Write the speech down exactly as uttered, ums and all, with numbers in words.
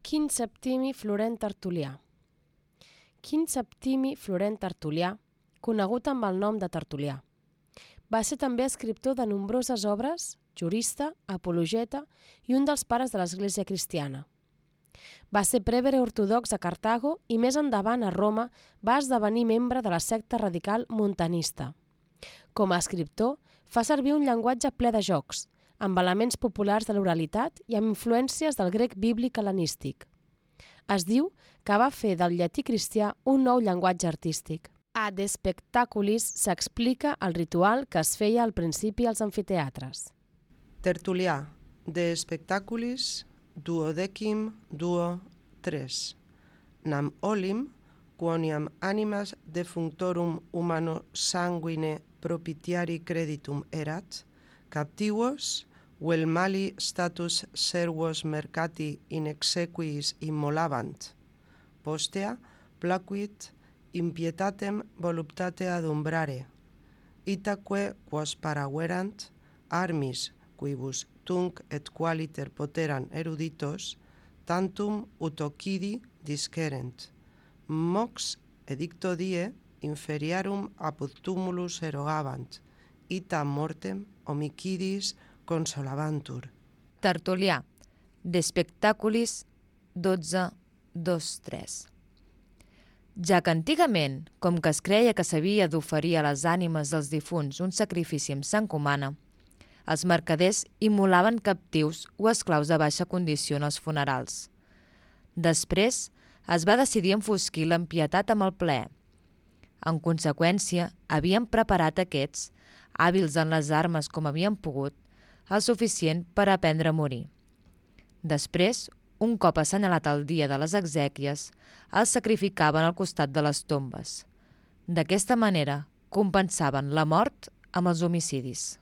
Quint Septimi Florent Tertulià. Quint Septimi Florent Tertulià, conegut amb el nom de Tertulià. Va ser també escriptor de nombroses obres, jurista, apologeta i un dels pares de l'Església cristiana. Va ser prevere ortodox a Cartago i més endavant a Roma va esdevenir membre de la secta radical montanista. Com a escriptor, fa servir un llenguatge ple de jocs, amb elements populars de l'oralitat i amb influències del grec bíblic hel·lenístic. Es diu que va fer del llatí cristià un nou llenguatge artístic. A De Spectaculis s'explica el ritual que es feia al principi als amfiteatres. Tertulià, De Spectaculis, duodecim duo tres. Nam olim, quoniam animas defunctorum humano sanguine propitiari creditum erat, captivos, vel mali status servos mercati in exequiis immolabant, postea placuit impietatem voluptate adumbrare, itaque quos paraverant armis quibus tunc et qualiter poteran eruditos, tantum utocidi discerent. Mox edicto die inferiarum apud tumulus erogabant, ita mortem homicidis consolabantur. Tertulià, De Spectaculis dotze dos tres. Ja que antigament, com que es creia que s'havia d'oferir a les ànimes dels difunts un sacrifici amb sang humana, els mercaders immolaven captius o esclaus de baixa condició en els funerals. Després es va decidir enfosquir l'empietat amb el plaer. En conseqüència, havien preparat aquests, hàbils en les armes com havien pogut, el suficient per aprendre a morir. Després, un cop assenyalat el dia de les exèquies, els sacrificaven al costat de les tombes. D'aquesta manera, compensaven la mort amb els homicidis.